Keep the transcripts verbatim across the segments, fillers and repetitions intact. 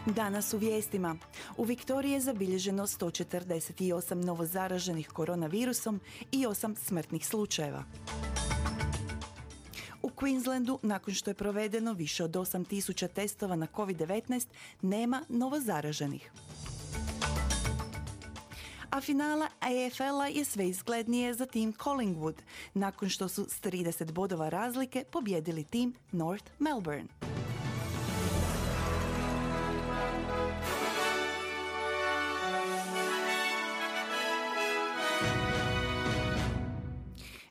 Danas u vijestima. U Viktoriji je zabilježeno sto četrdeset osam novozaraženih koronavirusom i osam smrtnih slučajeva. U Queenslandu, nakon što je provedeno više od osam tisuća testova na kovid devetnaest, nema novozaraženih. A finala A F L-a je sve izglednije za tim Collingwood, nakon što su s trideset bodova razlike pobjedili tim North Melbourne.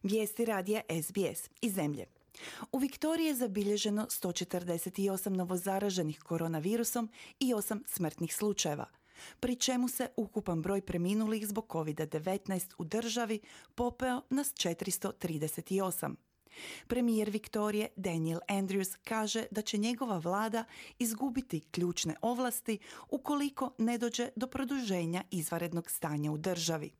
Vijesti radija S B S iz zemlje. U Viktoriji je zabilježeno sto četrdeset osam novozaraženih koronavirusom i osam smrtnih slučajeva, pri čemu se ukupan broj preminulih zbog kovid devetnaest u državi popeo na četiristo trideset osam. Premijer Viktorije Daniel Andrews kaže da će njegova vlada izgubiti ključne ovlasti ukoliko ne dođe do produženja izvanrednog stanja u državi.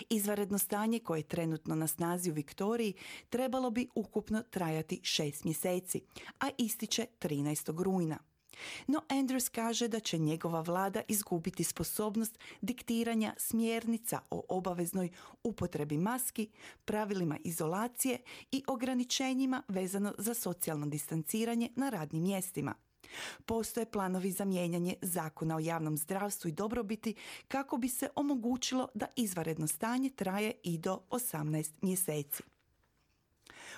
Izvanredno stanje koje je trenutno na snazi u Viktoriji trebalo bi ukupno trajati šest mjeseci, a ističe trinaestog rujna. No Andrews kaže da će njegova vlada izgubiti sposobnost diktiranja smjernica o obaveznoj upotrebi maski, pravilima izolacije i ograničenjima vezano za socijalno distanciranje na radnim mjestima. Postoje planovi za mijenjanje zakona o javnom zdravstvu i dobrobiti kako bi se omogućilo da izvanredno stanje traje i do osamnaest mjeseci.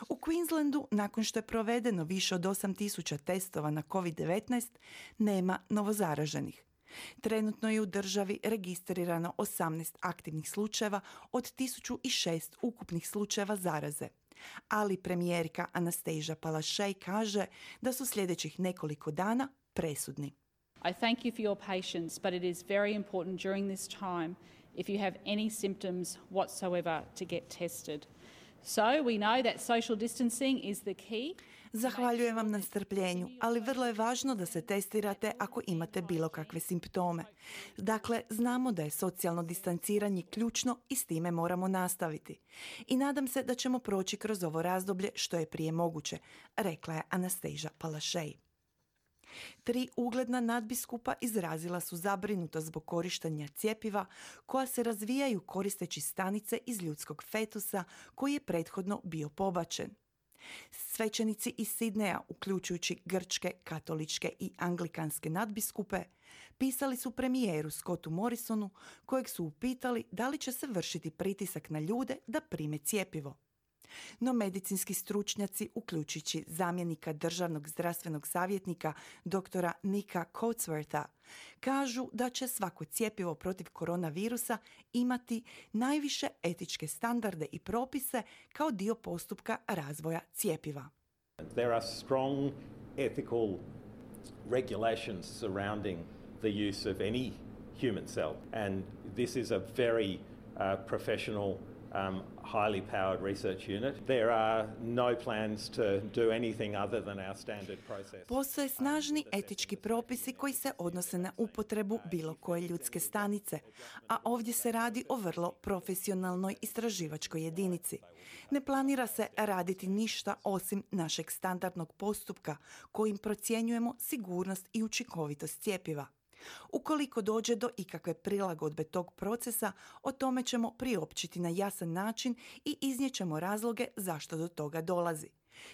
U Queenslandu, nakon što je provedeno više od osam tisuća testova na kovid devetnaest, nema novozaraženih. Trenutno je u državi registrirano osamnaest aktivnih slučajeva od tisuću šest ukupnih slučajeva zaraze. Ali premijerka Anastasia Palaszczuk kaže da su sljedećih nekoliko dana presudni. I thank you for your patience, but it is very important during this time, if you have any symptoms whatsoever, to get tested. So we know that social distancing is the key. Zahvaljujem vam na strpljenju, ali vrlo je važno da se testirate ako imate bilo kakve simptome. Dakle, znamo da je socijalno distanciranje ključno i s time moramo nastaviti. I nadam se da ćemo proći kroz ovo razdoblje što je prije moguće, rekla je Anastasia Palaszczuk. Tri ugledna nadbiskupa izrazila su zabrinutost zbog korištenja cjepiva koja se razvijaju koristeći stanice iz ljudskog fetusa koji je prethodno bio pobačen. Svećenici iz Sidneja, uključujući grčke, katoličke i anglikanske nadbiskupe, pisali su premijeru Scottu Morrisonu, kojeg su upitali da li će se vršiti pritisak na ljude da prime cjepivo. No medicinski stručnjaci, uključujući zamjenika državnog zdravstvenog savjetnika doktora Nika Coatswortha, kažu da će svako cjepivo protiv koronavirusa imati najviše etičke standarde i propise kao dio postupka razvoja cjepiva. There are strong ethical regulations surrounding the use of any human cell, and this is a very uh, professional Um, highly powered research unit. There are no plans to do anything other than our standard process. Postoje snažni etički propisi koji se odnose na upotrebu bilo koje ljudske stanice, a ovdje se radi o vrlo profesionalnoj istraživačkoj jedinici. Ne planira se raditi ništa osim našeg standardnog postupka kojim procjenjujemo sigurnost i učinkovitost cjepiva. Ukoliko dođe do ikakve prilagodbe tog procesa, o tome ćemo priopćiti na jasan način i iznijećemo razloge zašto do toga dolazi.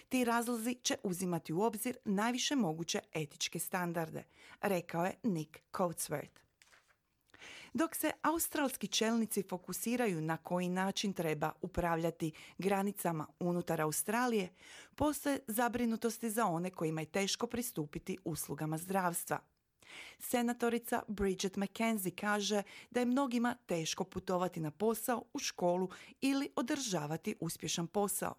Ti razlozi će uzimati u obzir najviše moguće etičke standarde, rekao je Nick Coatsworth. Dok se australski čelnici fokusiraju na koji način treba upravljati granicama unutar Australije, postoje zabrinutosti za one kojima je teško pristupiti uslugama zdravstva. Senatorica Bridget McKenzie kaže da je mnogima teško putovati na posao, u školu ili održavati uspješan posao.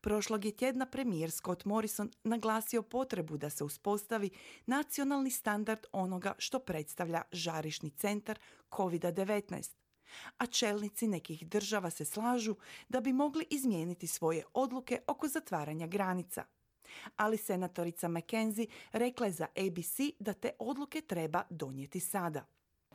Prošlog je tjedna premijer Scott Morrison naglasio potrebu da se uspostavi nacionalni standard onoga što predstavlja žarišni centar kovid devetnaest. A čelnici nekih država se slažu da bi mogli izmijeniti svoje odluke oko zatvaranja granica. Ali senatorica McKenzie rekla je za A B C da te odluke treba donijeti sada.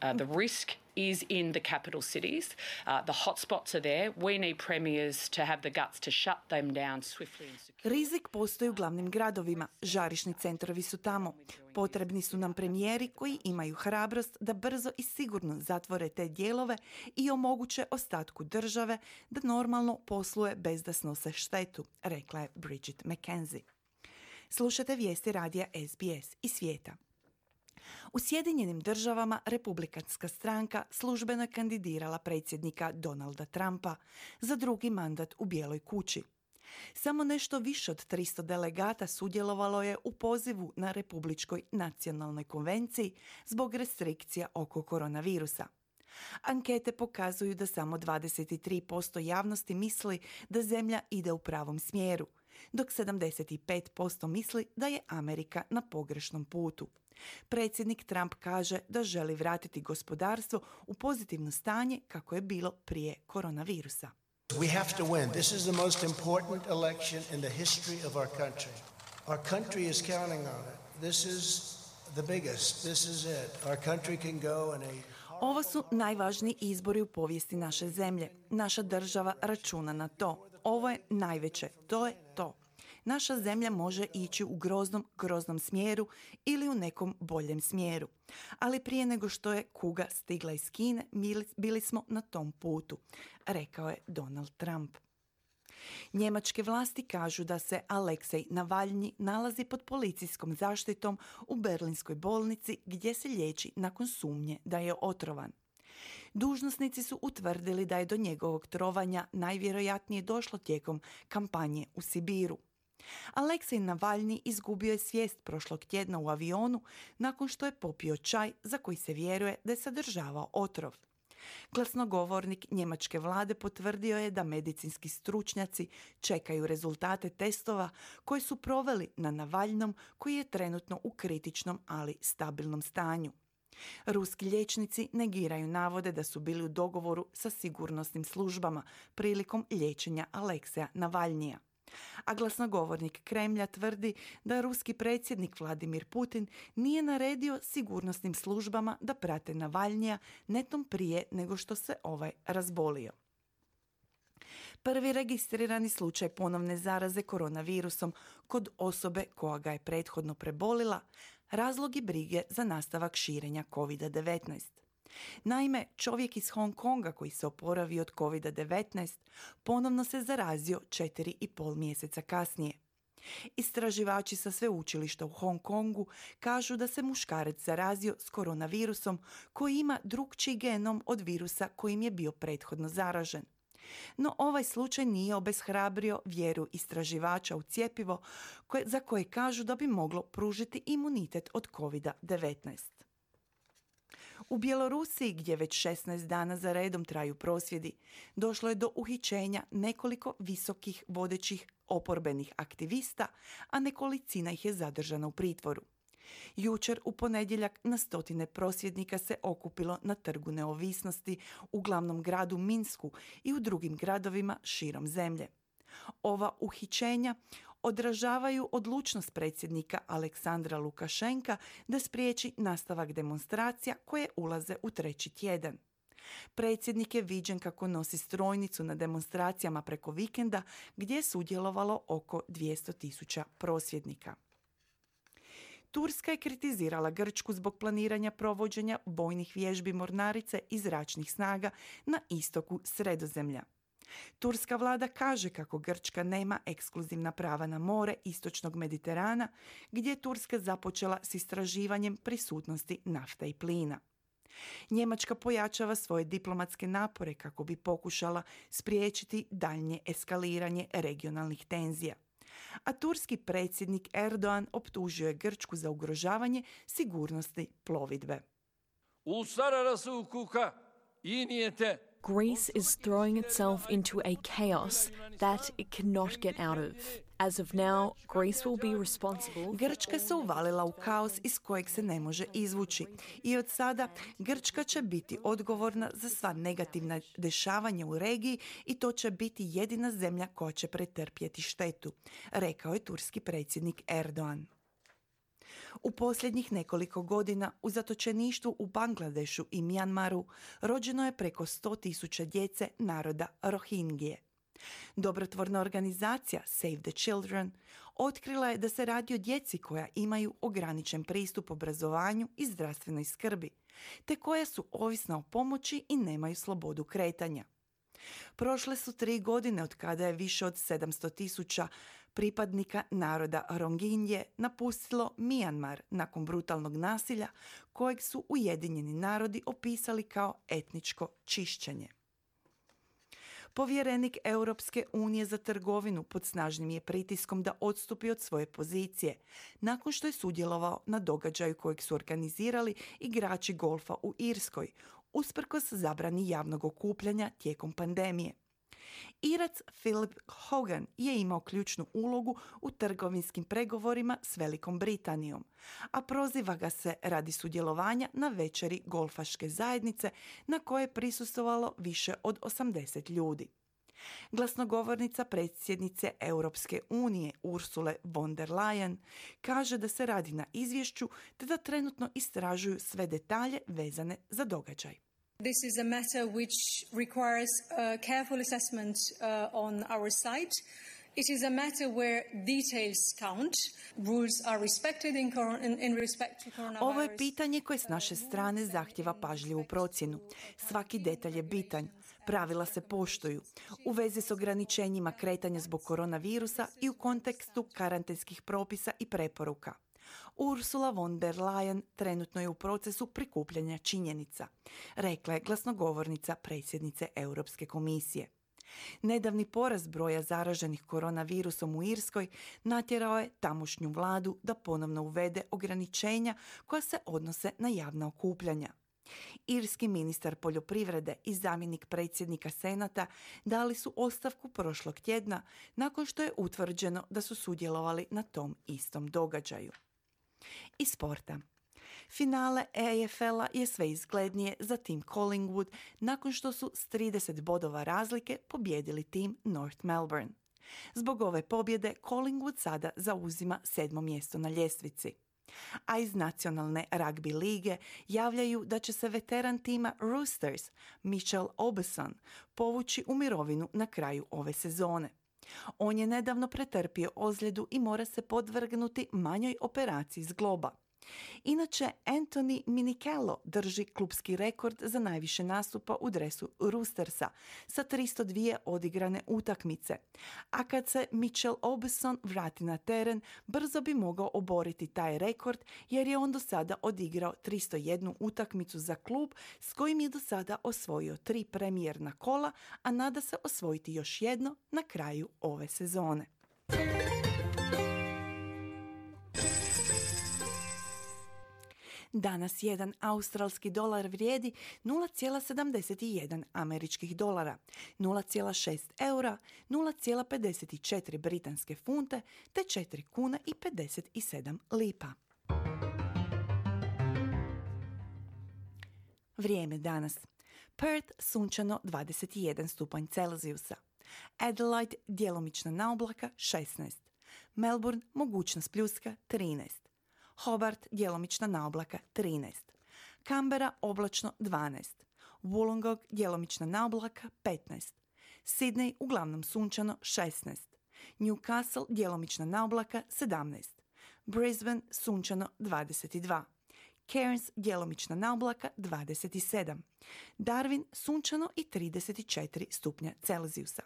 Uh, the risk is in the capital cities. Uh, the hotspots are there. We need premiers to have the guts to shut them down swiftly and securely. Rizik postoji u glavnim gradovima, žarišni centrovi su tamo. Potrebni su nam premijeri koji imaju hrabrost da brzo i sigurno zatvore te dijelove i omoguće ostatku države da normalno posluje bez da snose štetu, rekla je Bridget McKenzie. Slušate vijesti radija S B S iz svijeta. U Sjedinjenim državama republikanska stranka službeno je kandidirala predsjednika Donalda Trumpa za drugi mandat u Bijeloj kući. Samo nešto više od tristo delegata sudjelovalo je u pozivu na Republičkoj nacionalnoj konvenciji zbog restrikcija oko koronavirusa. Ankete pokazuju da samo dvadeset tri posto javnosti misli da zemlja ide u pravom smjeru, dok sedamdeset pet posto misli da je Amerika na pogrešnom putu. Predsjednik Trump kaže da želi vratiti gospodarstvo u pozitivno stanje kako je bilo prije koronavirusa. We have to win. This is the most important election in the history of our country. Our country is counting on it. This is the biggest. This is it. Our country can go in a Ovo su najvažniji izbori u povijesti naše zemlje. Naša država računa na to. Ovo je najveće. To je to. Naša zemlja može ići u groznom, groznom smjeru ili u nekom boljem smjeru. Ali prije nego što je kuga stigla iz Kine, bili smo na tom putu, rekao je Donald Trump. Njemačke vlasti kažu da se Aleksej Navalnji nalazi pod policijskom zaštitom u berlinskoj bolnici gdje se liječi nakon sumnje da je otrovan. Dužnosnici su utvrdili da je do njegovog trovanja najvjerojatnije došlo tijekom kampanje u Sibiru. Aleksej Navalnji izgubio je svijest prošlog tjedna u avionu nakon što je popio čaj za koji se vjeruje da je sadržavao otrov. Glasnogovornik njemačke vlade potvrdio je da medicinski stručnjaci čekaju rezultate testova koje su proveli na Navalnom koji je trenutno u kritičnom, ali stabilnom stanju. Ruski liječnici negiraju navode da su bili u dogovoru sa sigurnosnim službama prilikom liječenja Alekseja Navalnija. A glasnogovornik Kremlja tvrdi da ruski predsjednik Vladimir Putin nije naredio sigurnosnim službama da prate Navalnija netom prije nego što se ovaj razbolio. Prvi registrirani slučaj ponovne zaraze koronavirusom kod osobe koja ga je prethodno prebolila razlog je brige za nastavak širenja kovid devetnaest. Naime, čovjek iz Hong Konga koji se oporavio od kovid devetnaest ponovno se zarazio četiri i pol mjeseca kasnije. Istraživači sa sveučilišta u Hong Kongu kažu da se muškarac zarazio s koronavirusom koji ima drukčiji genom od virusa kojim je bio prethodno zaražen. No ovaj slučaj nije obeshrabrio vjeru istraživača u cjepivo koje, za koje kažu da bi moglo pružiti imunitet od kovid devetnaest. U Bjelorusiji, gdje već šesnaest dana za redom traju prosvjedi, došlo je do uhićenja nekoliko visokih vodećih oporbenih aktivista, a nekolicina ih je zadržana u pritvoru. Jučer u ponedjeljak na stotine prosvjednika se okupilo na Trgu neovisnosti u glavnom gradu Minsku i u drugim gradovima širom zemlje. Ova uhićenja odražavaju odlučnost predsjednika Aleksandra Lukašenka da spriječi nastavak demonstracija koje ulaze u treći tjedan. Predsjednik je viđen kako nosi strojnicu na demonstracijama preko vikenda gdje je sudjelovalo oko dvjesto tisuća prosvjednika. Turska je kritizirala Grčku zbog planiranja provođenja bojnih vježbi mornarice i zračnih snaga na istoku Sredozemlja. Turska vlada kaže kako Grčka nema ekskluzivna prava na more istočnog Mediterana, gdje je Turska započela s istraživanjem prisutnosti nafte i plina. Njemačka pojačava svoje diplomatske napore kako bi pokušala spriječiti daljnje eskaliranje regionalnih tenzija. A turski predsjednik Erdogan optužio je Grčku za ugrožavanje sigurnosti plovidbe. Uluslararası hukuka, iyi niyete Greece is throwing itself into a chaos that it cannot get out of. As of now, Greece will be responsible. Grčka se uvalila u kaos iz kojeg se ne može izvući. I od sada Grčka će biti odgovorna za sva negativna dešavanja u regiji i to će biti jedina zemlja koja će pretrpjeti štetu, rekao je turski predsjednik Erdogan. U posljednjih nekoliko godina u zatočeništvu u Bangladešu i Mjanmaru rođeno je preko sto tisuća djece naroda Rohingije. Dobrotvorna organizacija Save the Children otkrila je da se radi o djeci koja imaju ograničen pristup obrazovanju i zdravstvenoj skrbi, te koja su ovisna o pomoći i nemaju slobodu kretanja. Prošle su tri godine od kada je više od sedamsto tisuća pripadnika naroda Rohingje napustilo Mjanmar nakon brutalnog nasilja kojeg su Ujedinjeni narodi opisali kao etničko čišćenje. Povjerenik Europske unije za trgovinu pod snažnim je pritiskom da odstupi od svoje pozicije, nakon što je sudjelovao na događaju kojeg su organizirali igrači golfa u Irskoj, usprkos zabrani javnog okupljanja tijekom pandemije. Irac Philip Hogan je imao ključnu ulogu u trgovinskim pregovorima s Velikom Britanijom, a proziva ga se radi sudjelovanja na večeri golfaške zajednice na kojoj je prisustvovalo više od osamdeset ljudi. Glasnogovornica predsjednice Europske unije Ursule von der Leyen kaže da se radi na izvješću te da trenutno istražuju sve detalje vezane za događaj. This is a matter which requires a careful assessment uh, on our side. It is a matter where details count. Rules are respected in, in, in respect to coronavirus. Ovo je pitanje koje s naše strane zahtjeva pažljivu procjenu. Svaki detalj je bitan. Pravila se poštuju. U vezi s ograničenjima kretanja zbog koronavirusa i u kontekstu karantenskih propisa i preporuka. Ursula von der Leyen trenutno je u procesu prikupljanja činjenica, rekla je glasnogovornica predsjednice Europske komisije. Nedavni porast broja zaraženih koronavirusom u Irskoj natjerao je tamošnju vladu da ponovno uvede ograničenja koja se odnose na javna okupljanja. Irski ministar poljoprivrede i zamjenik predsjednika Senata dali su ostavku prošlog tjedna nakon što je utvrđeno da su sudjelovali na tom istom događaju. Iz sporta. Finale A F L-a je sve izglednije za tim Collingwood nakon što su s trideset bodova razlike pobijedili tim North Melbourne. Zbog ove pobjede Collingwood sada zauzima sedmo mjesto na ljestvici. A iz nacionalne ragbi lige javljaju da će se veteran tima Roosters Mitchell Aubusson povući u mirovinu na kraju ove sezone. On je nedavno pretrpio ozljedu i mora se podvrgnuti manjoj operaciji zgloba. Inače, Anthony Minichello drži klubski rekord za najviše nastupa u dresu Roostersa sa tristo dvije odigrane utakmice. A kad se Mitchell Aubusson vrati na teren, brzo bi mogao oboriti taj rekord jer je on do sada odigrao tristo jednu utakmicu za klub s kojim je do sada osvojio tri premijerna kola, a nada se osvojiti još jedno na kraju ove sezone. Danas jedan australski dolar vrijedi nula zarez sedamdeset jedan američkih dolara, nula zarez šest eura, nula zarez pedeset četiri britanske funte te četiri kune i pedeset sedam lipa. Vrijeme danas. Perth sunčano dvadeset jedan stupanj Celzijusa. Adelaide djelomična naoblaka šesnaest. Melbourne mogućnost pljuska trinaest. Hobart djelomična naoblaka trinaest. Canberra oblačno dvanaest. Wollongong djelomična naoblaka petnaest. Sydney uglavnom sunčano šesnaest. Newcastle djelomična naoblaka sedamnaest. Brisbane sunčano dvadeset dva. Cairns djelomična naoblaka dvadeset sedam. Darwin sunčano i trideset četiri stupnja Celzijusa.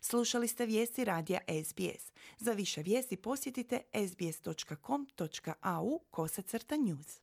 Slušali ste vijesti radija S B S. Za više vijesti posjetite sbs dot com dot a u kosacrta news.